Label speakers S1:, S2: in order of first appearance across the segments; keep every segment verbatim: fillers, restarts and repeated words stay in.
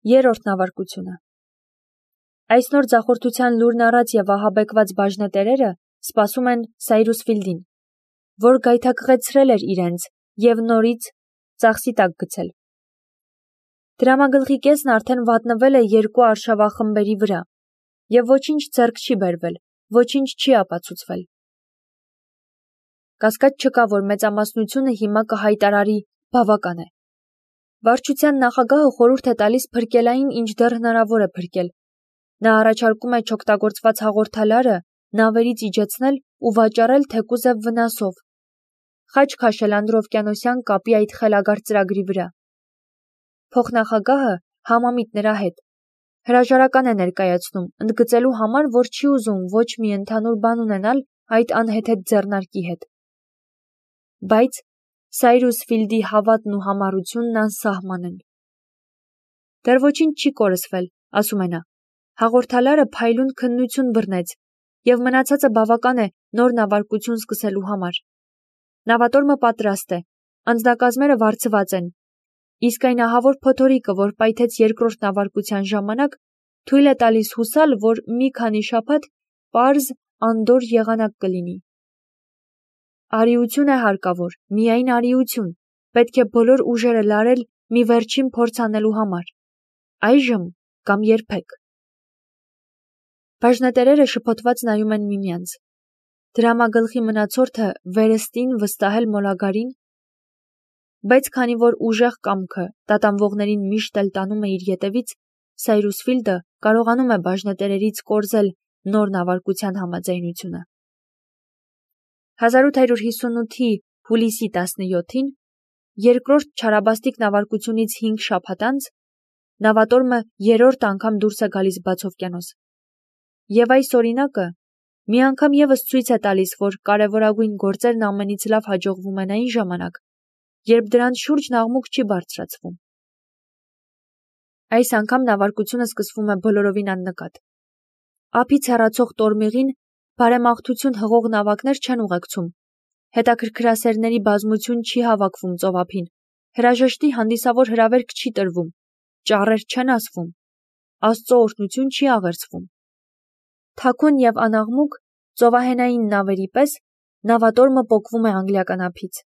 S1: Երրորդ նավարկությունը։ Այս նոր ձախորդության լուրն առած և ահաբեկված բաժնետերերը սպասում են Սայրուս Ֆիլդին, որ գայթակղեցրել էր իրենց և նորից ծախսի տակ գցել։ Դրամագլխի կեսն արդեն վատնվել է երկու արշավախմբերի վրա, և ոչինչ ձեռք չի բերվել, ոչինչ չի ապացուցվել։ Կասկած չկա, որ մեծամասնությունը հիմա կհայտարարի բավական է։ Վարչության նախագահը խորհուրդ է տալիս փրկել այն, ինչ դեռ հնարավոր է փրկել։ Նա առաջարկում է չօգտագործված հաղորդալարը նավերից իջեցնել ու վաճառել թեկուզև վնասով։ Խաչ քաշել անդրօվկիանոսյան կապի այդ խելագար ծրագրի վրա։ Փոխնախագահը համամիտ նրա հետ հրաժարական է ներկայացնում, ընդգծելու համար, որ չի ուզում ոչ մի ընդհանուր բան ունենալ այդ անհեթեթ ձեռնարկի հետ։ Բայց Սայրուս Ֆիլդի հավատն ու համառությունն անսահման են։ Դեռ ոչինչ չի կորսվել, ասում է նա։ Հաղորդալարը փայլուն քննություն բռնեց, և մնացածը բավական է նոր նավարկություն սկսելու համար։ Նավատորմը պատրաստ է, անձնակազմերը վարձված են, իսկ այն ահավոր փոթորիկը, որ պայթեց երկրորդ նավարկության ժամանակ, թույլ է տալիս հուսալ, որ մի քանի շաբաթ պարզ անդորր եղանակ կլինի։ Արիություն է հարկավոր, միայն արիություն, պետք է բոլոր ուժերը լարել մի վերջին փորձ անելու համար։ Այժմ կամ երբեք։ Բաժնետերերը շփոթված նայում են միմյանց։ Դրամագլխի մնացորդը վերստին վստահել մոլագարին, բայց քանի որ ուժեղ կամքը տատանվողներին միշտ էլ տանում է իր ետևից, Սայրուս Ֆիլդը կարողանում է բաժնետերերից կորզել նոր նավարկության համաձայնությունը։ հազար ութ հարյուր հիսունութի հուլիսի տասնյոթին, երկրորդ չարաբաստիկ նավարկությունից հինգ շաբաթ անց, նավատորմը երրորդ անգամ դուրս է գալիս բացօվկիանոս։ Եվ այս օրինակը մի անգամ ևս ցույց է տալիս, որ կարևորագույն գործերն ամենից լավ հաջողվում են այն ժամանակ, երբ դրանց շուրջն աղմուկ չի բարձրացվում։ Այս անգամ նավարկությունը սկսվում է բոլորովին աննկատ։ Ափից հեռացող տորմեղին բարեմաղթություն հղող նավակներ չեն ուղեկցում։ Հետաքրքրասերների բազմություն չի հավաքվում ծովափին։ Հրաժեշտի հանդիսավոր հրավերք չի տրվում։ Ճառեր չեն ասվում։ Աստծո օրհնություն չի աղերսվում։ Թաքուն և անաղմուկ ծովահենային նավերի պես նավատորմը պոկվում է անգլիական ափից։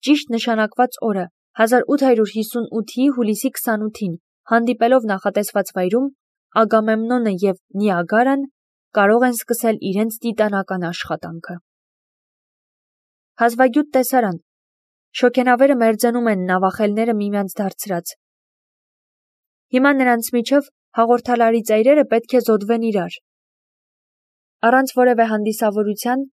S1: Ճիշտ նշանակված օրը հազար ութ հարյուր հիսունութի հուլիսի քսանութին հանդիպելով նախատեսված վայրում, Ագամեմնոնը և Նիագարան կարող են սկսել իրենց տիտանական աշխատանքը։ Հազվագյուտ տեսարան։ Շոգենավերը մերձենում են նավախելները միմյանց դարձրած։ Հիմա նրանց միջև հաղորդալարի ծայրերը պետք է զոդվեն իրար։ Առանց որևէ հանդիսավորության,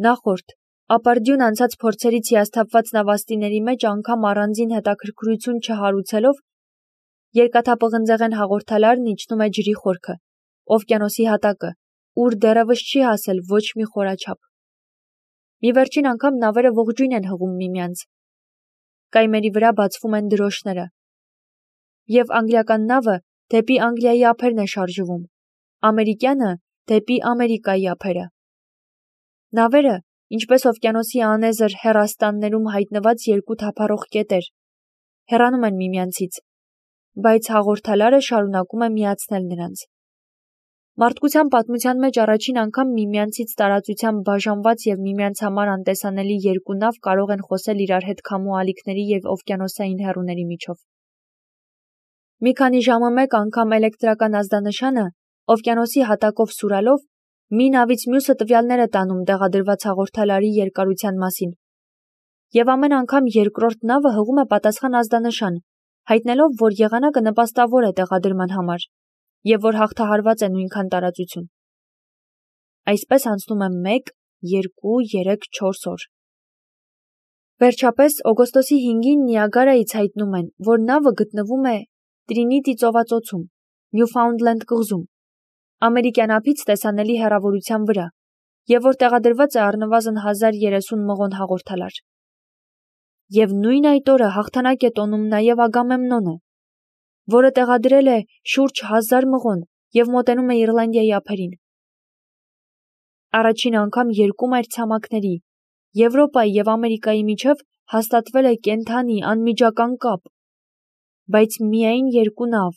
S1: նախորդ, ապարդյուն անցած փորձերից հիասթափված նավաստիների մեջ անգամ առանձին հետաքրքրություն չհարուցելով, երկաթապղնձեղեն հաղորդալարն իջնում է ջրի խորքը, օվկիանոսի հատակը, ուր դեռևս չի հասել ոչ մի խորաչափ։ Մի վերջին անգամ նավերը ողջույն են հղում միմյանց։ Կայմերի վրա բացվում են դրոշները։ Եվ անգլիական նավը դեպի Անգլիայի ափերն է շարժվում, ամերիկյանը դեպի Ամերիկայի ափերը։ Նավերը, ինչպես օվկիանոսի անեզր հեռաստաններում հայտնված երկու թափառող կետեր, հեռանում են միմյանցից, բայց հաղորդալարը շարունակում է միացնել նրանց։ Մարդկության պատմության մեջ առաջին անգամ միմյանցից տարածությամբ բաժանված և միմյանց համար անտեսանելի երկու նավ կարող են խոսել իրար հետ քամու ալիքների և օվկիանոսային հեռուների միջով։ Մի քանի ժամը մեկ անգամ էլեկտրական ազդանշանը, օվկիանոսի հատակով սուրալով, մի նավից մյուսը տվյալներ է տանում տեղադրված հաղորդալարի երկարության մասին։ Եվ ամեն անգամ երկրորդ նավը հղում է պատասխան ազդանշան, հայտնելով, որ եղանակը նպաստավոր է տեղադրման համար, և որ հաղթահարված է նույնքան տարածություն։ Այսպես անցնում է մեկ, երկու, երեք, չորս օր։ Վերջապես, օգոստոսի հինգին Նիագարայից հայտնում են, որ նավը գտնվում է Տրինիտի ծովածոցում, Նյուֆաունդլենդ կղզում, ամերիկյան ափից տեսանելի հեռավորության վրա, և որ տեղադրված է առնվազն հազար երեսուն մղոն հաղորդալար։ Եվ նույն այդ օրը հաղթանակ է տոնում նաև Ագամեմնոնը, որը տեղադրել է շուրջ հազար մղոն և մոտենում է Իռլանդիայի ափերին։ Առաջին անգամ երկու մայրցամաքների՝ Եվրոպայի և Ամերիկայի միջև հաստատվել է կենդանի, անմիջական կապ։ բայց միայն երկու նավ,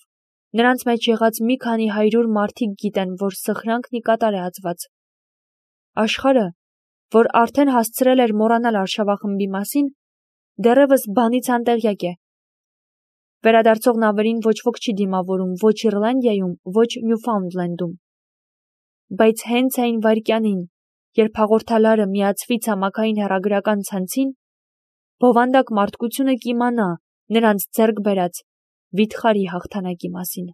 S1: նրանց մեջ եղած մի քանի հարյուր մարդիկ գիտեն, որ սխրանքն ի կատար է ածված։ Աշխարհը, որ արդեն հասցրել էր մոռանալ արշավախմբի մասին, դեռևս բանից անտեղյակ է։ Վերադարձող նավերին ոչ ոք չի դիմավորում ոչ Իռլանդիայում, ոչ Նյուֆաունդլենդում։ Բայց հենց այն վայրկյանին, երբ հաղորդալարը միացվի ցամաքային հեռագրական ցանցին, բովանդակ մարդկությունը կիմանա նրանց ձեռք բերած վիթխարի հաղթանակի մասին։